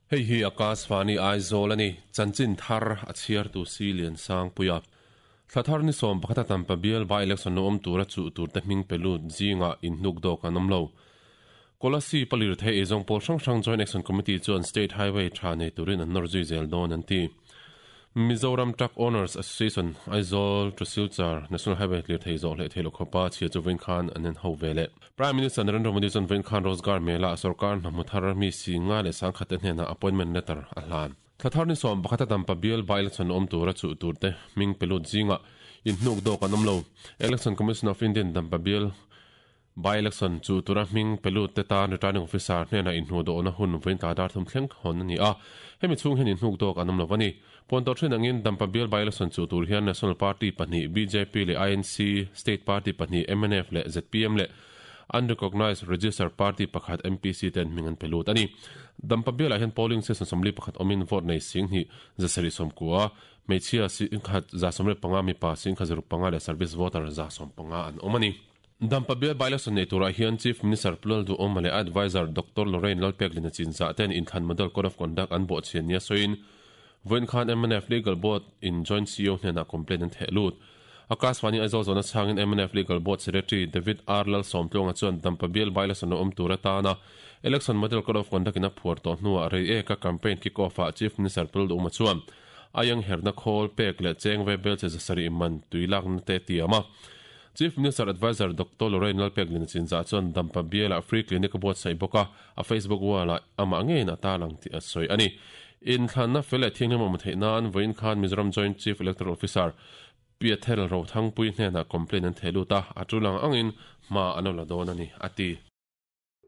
Hei hi Akashvani Aizawl a ni. Chanchin thar a chhiartu si Liansangpuia. Thla thar ni 11 a Tampa bial by-election lo awm tura chuh turte hming pe lut zingah inhnuk dawk an awm lo. Kolasib a lirthei eizawng pawl hrang hrang Joint Action Committee chuan State Highway tha nei turin an nawr zui zel dawn an ti. Mizoram Truck Owners Association, Aizawl to Silchar National Highway lirthei zawh hleh theih loh khawpa chhia chu vawiin khan an en ho ve leh. Prime Minister Narendra Modi chuan vawiin khan Rozgar Mela ah sorkar hna hmu thar mi si nga leh sangkhat te hnenah appointment letter a hlan. Thla thar ni 11 a Dampa bial by-election awm tura chuh turte hming pe lut zingah inhnuk dawk an awm lo. Election Commission of India-in Dampa bial By-election chu tura hming pe lut te tan Returning Officer hnenah inhnuh dawhna hun vawiin tlai dar thum thleng hawn a ni a. Hemi chhung hian inhnuk dawk an awm lo a ni. Puantawh thin angin Dampa bial by-election chu tur hian National Party pahnih bjp leh INC, State Party pahnih mnf leh zpm leh Unrecognised Registered Party pakhat MPC ten hming an pe lut a ni. Dampa bialah hian polling station 41 awmin vote nei 10,000 790, hmeichhia 10,175, mipa 10,065 leh service voter 150 an awm a ni. Dampa bial by-election nei turah hian Chief Minister Pu Lalduhawma leh a adviser Doctor Lorraine Lalpeklina chinzah ten inthlan Model Code of Conduct an bawhchhian nia sawiin vawiin khan mnf Legal Board in Joint CEO hnenah complaint an theh lut. Akashvani Aizawl zawhna chhangin mnf Legal Board Secretary David R Lalsawmtluanga chuan Dampa bial by-election a awm tur atana Election Model Code of Conduct in a phuar tawh hnuah rei eka campaign kick-off ah Chief Minister Pu Lalduhawma chuan Aiang herna khawl pek leh cheng ve bel che zasarih man tui lakna te a tiam a. Chief Minister Adviser Doctor Lorraine Lalpeklina Chinzah chuan Dampa bialah free clinic a buatsaih bawk a, a Facebook wall-ah amah ngeiin a tarlang tih a sawi a ni. Inthlanna fel leh thianghlim a awm theih nan vawiin khan Mizoram Joint Chief Electoral Officer Piathel Rothangpui hnenah complaint an theh lut a, a tul ang angin hma an lo la dawn a ni, a ti.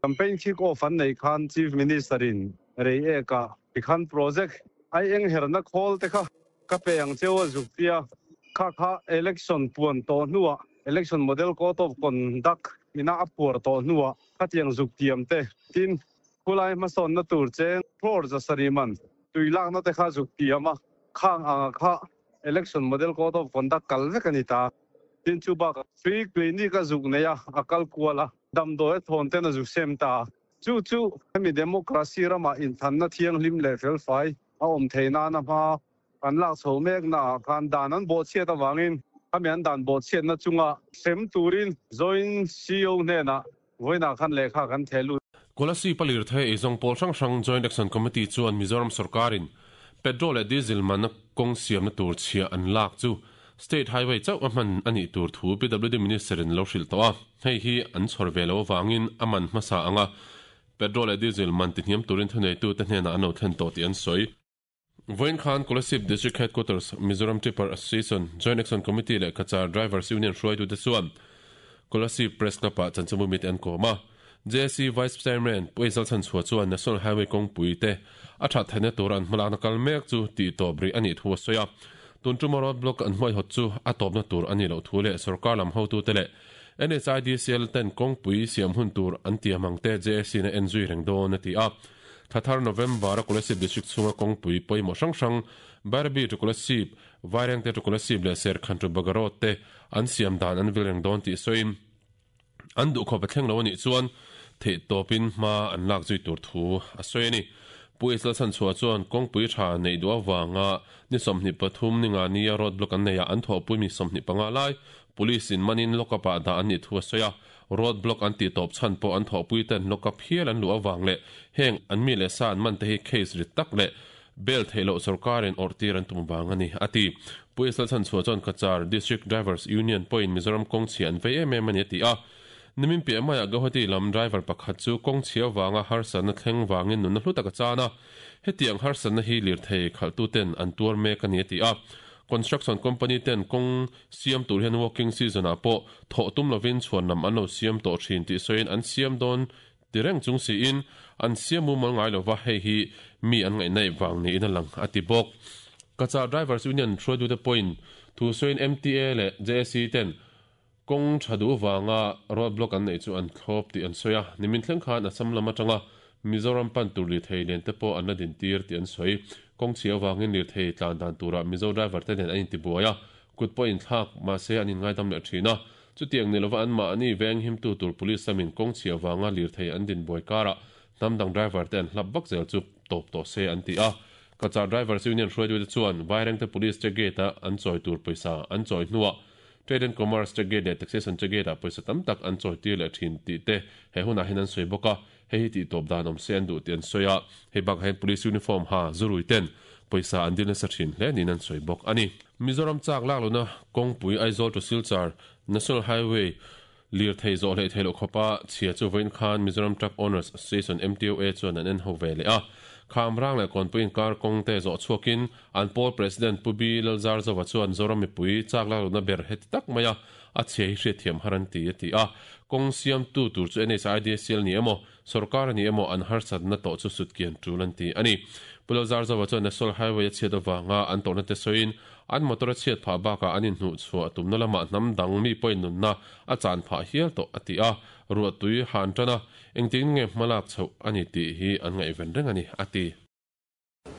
Campaign kick off an neih khan Chief Minister in rei ek ah tikhan project ai eng herna khawl te kha ka pe ang cheu a zuk tia kha kha election puan tawh hnuah election model code of conduct ina a phuar tawh hnuah khatiang zuk tiam te tin khulai hmasawnna tur cheng crore zasarih man tui lakna te kha zuk tiam a khang anga kha election model code of conduct kal vek a ni ta. Tin chu bakah free clinic a zuk nei a, a kal kual a, damdawi a thawn ten a zuk sem ta. Chu chu hemi democracy ramah inthanna thianghlim leh felfai a awm thei nana hma kan lak chho mek naah khan dan an bawhchhiat avangin khami an dan bawhchhiatna chunga hrem turin Joint CEO hnenah vawiinah khan lehkha kan theh lut. Kolasib a lirthei eizawng pawl hrang hrang Joint Action Committee chuan Mizoram sorkarin petrol leh diesel manna kawng siamna tur chhiah an lak chu State Highway chauh a hman a nih tur thu PWD Minister in lo hrilh tawh a, hei hi an chhawr ve lo avangin a man hmasa anga petrol leh diesel man tihniam turin thuneitute hnenah an lo thlen tawh tih an sawi. Vawiin khan Kolasib District Headquarters, Mizoram Tipper Association, Joint Action Committee leh Cachar Drivers Union hruaitute chuan Kolasib Press Club-ah chanchinbu mite an kawm a. JAC Vice Chairman Pu Eizal Chhanchhuah chuan National Highway kawngpui te a that theihna tura an hmalakna kal mek chu tih tawp rih a nih thu a sawi a. Tun tuma road block an hmuaihawt chu a tawpna tur a nih loh thu leh sorkar lam hotute leh NHIDCL ten kawngpui siam hun tur an tiam ang te JAC in a en zui reng dawn a ti a. Thla thar November a Kolasib District chhunga kawngpui pawimawh hrang hrang Bairabi to Kolasib, Vairengte to Kolasib leh Serkhan to Baga Road te an siam dan an vil reng dawn tih sawiin an duhkhawp a thleng lo a nih chuan theihtawpin hma an lak zui tur thu a sawi a ni. Pu Isla Chhanchhuah chuan kawngpui tha neih duh avanga ni 23 ni nga nia road block an neihah an thawhpui mi 25 lai Police in manin lock up ah dah an nih thu a sawi a, road block an tih tawp chhan pawh an thawhpui ten lock up hial an luh avang leh heng an mi leh sa an man te hi case rit tak leh bail theih loh sorkar in awrh tir an tum vang a ni, a ti. Pu Isla Chhanchhuah chuan Cachar District Drivers Union pawhin Mizoram kawng chhia an vei em em a ni a ti a. Nimin piah maiah Guwahati lam driver pakhat chu kawng chhia vanga harsatna thleng vangin nunna hlu tak a chan a, hetiang harsatna hi lirthei khalhtuten an tuar mek a ni a ti a. Construction company ten kawng siam tur hian working season ah pawh thawh tum lovin chhuan lam an lo siam tawh thin tih sawiin an siam dawn ti reng chung siin an siam mumal ngai lova hei hi mi an ngaihnaih vang niin a lang a ti bawk. Cachar Drivers Union hruaitute pawhin thu sawiin MTA leh JSC ten kawng tha duh vanga road block an neih chu an thlawp tih an sawi a, nimin thleng khan Assam lam atanga Mizoram pan tur lirthei len te pawh an la dintir tih an sawi. Kawng chhia avangin lirthei tlan dan turah Mizo driver te nen an intibuai a, kut pawh inthlak mahse an inngaidam leh thin a. Chutiang ni lova anmahni veng himtu tur police lamin kawng chhia vanga lirthei an din buai karah hnam dang driver te an hlap vak zel chu tawp tawh se an ti a. Cachar Drivers Union hruaitute chuan Vairengte Police check gate-a an chawi tur pawisa an chawi hnuah Trade and Commerce check gate leh Taxation check gate-ah pawisa tam tak an chawi tir leh thin tih te he hunah hian an sawi bawk a. Hei hi tih tawp dan awm se an duh tih an sawi a, hei bakah hian Police uniform ha zurui ten pawisa an dil nasa thin hle niin an sawi bawk a ni. Mizoram chak lak lohna kawngpui Aizawl to Silchar National Highway lirthei zawh hleih theih loh khawpa chhia chu vawiin khan Mizoram Truck Owners Association, MTOA, chuan an en ho ve leh a. Khamrang leh Kawnpui inkar kawng te zawh chhuakin an pawl President Pu B Lalzarzova chuan Zoram mipui chak lak lohna ber heti tak maia a chhia hi hriatthiam har an ti, a ti a. Kawng siamtu tur chu NHIDCL ni emaw, sorkar a ni emaw an harsatna tawh chu sutkian tul an ti a ni. Pu Lalzarzova chuan National Highway a chhiat avanga an tawrhna te sawiin an motor a chhiat phah bakah an inhnuhchhuah tumna lamah hnam dang mi pawhin nunna a chan phah hial tawh a ti a. Ruahtui han tan a, engtin nge hmalak chhoh a ni tih hi an ngaihven reng a ni, a ti.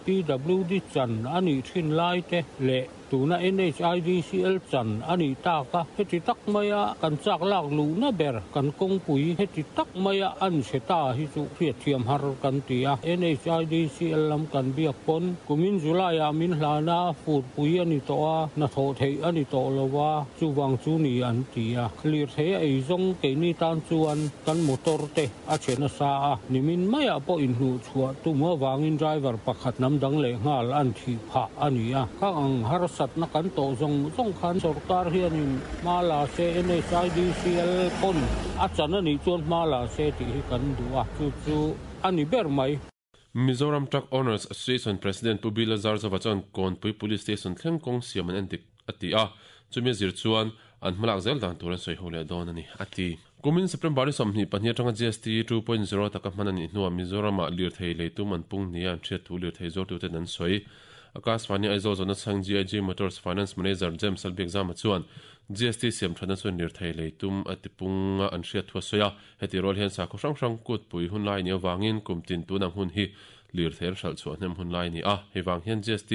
PWD chan a nih thin lai te leh tuna NHIDCL chan a nih tak a, heti tak maia kan chak lak luhna ber kan kawngpui heti tak maia an chhe ta hi chu hriatthiam har kan ti a. NHIDCL lam kan biak pawn kumin July ah min hlana furpui a ni tawh a, hnathawh theih a ni tawh lo a, chuvang chu ni an ti a. Lirthei a eizawng keini tan chuan kan motor te A che nasa a, nimin maiah pawh inhnuh chhuah tum avangin driver pakhat hnam dang leh nghal an thih phah a ni a. Khang ang harsatna kan tawh zawng zawng khan sorkar hianin hma la se NHIDCL pawn a chan a nih chuan hma la se tih hi kan duh a, chu chu a ni ber mai. Mizoram Truck Owners Association President Pu Bila Zarzova chuan Kawnpui Police Station thleng kawng siam an endik a ti a, chumi a zir chuan an hmalak zel dan tur an sawi ho leh dawn a ni, a ti. Kumin September ni 22 atanga GST 2.0 taka hman a nih hnuah Mizoramah lirthei leitum an pung nia an hriat thu lirthei zuartuten an sawi. Akashvani Aizawl zawhna chhang GIG Motors Finance Manager James Lalbiakzama chuan GST siam thatna chuan lirthei leitum a tipung a an hriat thu a sawi a, Heti rual hian sakhaw hrang hrang kutpui hun lai nih avangin kum tin tun ang hun hi lirthei an hralh chhuah hnem hun lai a ni a. Hei vang hian GST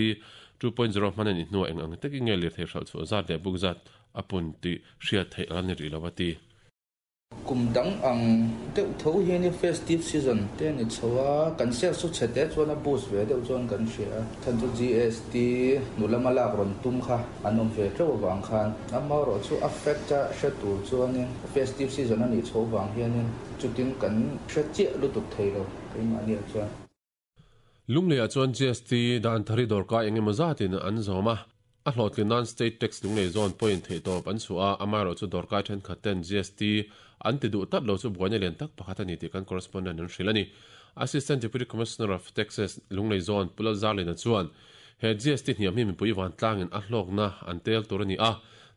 2.0 hman a nih hnuah eng ang takin nge lirthei hralh chhuah zat leh buk zat a pun tih hriat theih a la ni rih lo a ti. Kum dang ang deuh tho hian i festive season te a ni chho a, kan sales chu chhe te chuan a boost ve deuh chuan kan hria a, chhan chu GST nu lama lak rawn tum kha an awm ve teuh avang khan amaherawh chu a fact a hre tur chuanin Festive season a nih chhoh vang hianin chutin kan hre chiah lutuk thei lo keimahniah chuan. Lungleiah chuan GST dan thari dawrkai eng emaw zatin an zawm a, a hlawhtlin nan State Tax Lunglei zawn pawhin theihtawp an chhuah a, amaherawhchu dawrkai thenkhat ten GST an ti duh tlat lo chu buaina lian tak pakhat a ni tih kan correspondent an hrilh a ni. Assistant Deputy Commissioner of Taxes Lunglei zawn Pu Lalzarlina chuan he GST hniam hi mipui vantlangin a hlawkna an tel tur a ni a,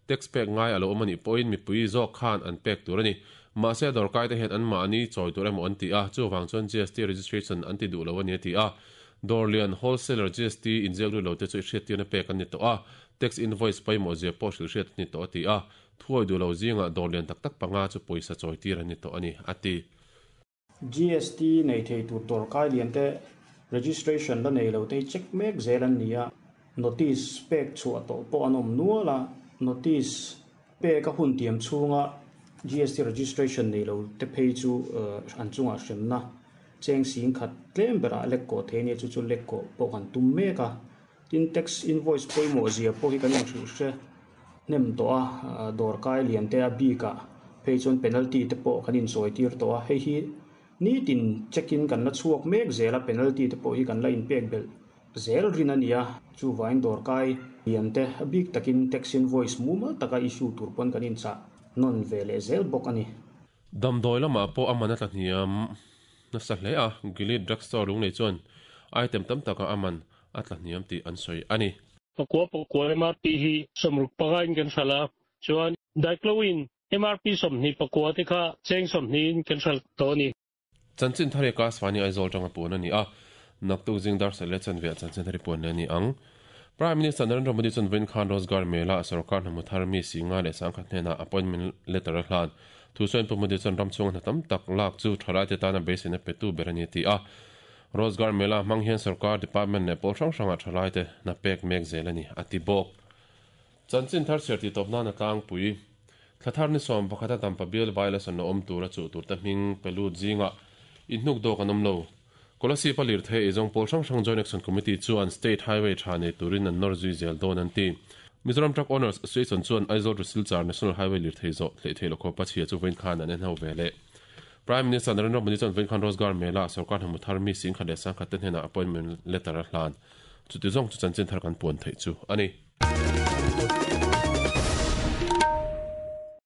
Tax pek ngai a lo awm a nih pawhin mipui zawk khan an pek tur a ni. Mahse a dawrkaite hian anmahni chawi tur emaw an ti a, chuvang chuan GST registration an ti duh lo a ni a ti a. Dawrlian, wholesaler, GST inziak lut lote chu i hriattirna pek an ni tawh a, tax invoice pawimawh zia pawh hrilh hriat a ni tawh a ti a. Thuawi duh lo zingah dawrlian tak tak panga chu pawisa chawitir an ni tawh a ni a ti. GST nei thei tur dawrkai lian te registration la nei lo te hi check mek zel an ni a, notice pek chhuah tawh pawh an awm nual a, notice pek a hun tiam chhunga GST registration nei lo te phei chu an chungah hremna cheng sing khat tlem berah lek kawh thei a nia chu chu lek kawh pawh kan tum mek a, tin tax invoice pawimawh zia pawh hi kan inhrilh hre. hnem tawh a, dawrkai lian te a bik ah phei chuan penalty te pawh kan insawi tir tawh a, hei hi nitin check in kan la chhuak mek zel a, penalty te pawh hi kan la inpek belh zel rin a ni a, chuvangin dawrkai lian te a bik takin tax invoice mumal taka issue tur pawn kan inchah nawn ve leh zel bawk a ni. Damdawi lamah pawh a man a tla hniam nasa hle a, Gilead Drugstore lunglei chuan item tam takah a man a tla hniam tih an sawi a ni. Pakua pakua MRP hi 65 in kan hralh a, chuan Diclowin MRP 24 te kha cheng 20 in kan hralh tawh a ni. Chanchin thar hi Akashvani Aizawl tanga puan a ni a, naktuk zing dar sarih leh chanve ah chanchin thar hi puan leh a ni ang. Prime Minister Narendra Modi chuan vawiin khan Rozgar Mela a sorkar hnamu thar mi Singa leh Sangkhat hnenah appointment letter a hlan. Thu sawiin Pu Modi chuan ram chhunga hna tam tak lak chu thalaite tana beiseina petu ber a ni a ti a. Rozgar Mela hmang hian sorkar department leh pawl hrang hrangah thalaite hna pek mek zel a ni, a ti bawk. Chanchin thar chhiar tih tawp nan a tlangpui. Thla thar ni 11 a Dampa bial by-election a awm tur a chuh turte hming pe lut zingah Inhnuk dawk an awm lo. Kolasib a lirthei eizawng pawl hrang hrang Joint Action Committee chuan State Highway tha nei turin an nawr zui zel dawn an ti. Mizoram Truck Owners Association chuan Aizawl to Silchar National Highway lirthei zawh hleih theih loh khawpa chhia chu vawiin khan an en ho ve leh. Prime Minister Narendra Modi chuan vawiin khan Rozgar Mela ah sorkar hnamu thar mi 10,000 leh 10,000 te hnenah appointment letter a hlan. Chuti zawng chu chanchin thar kan puan theih chu a ni.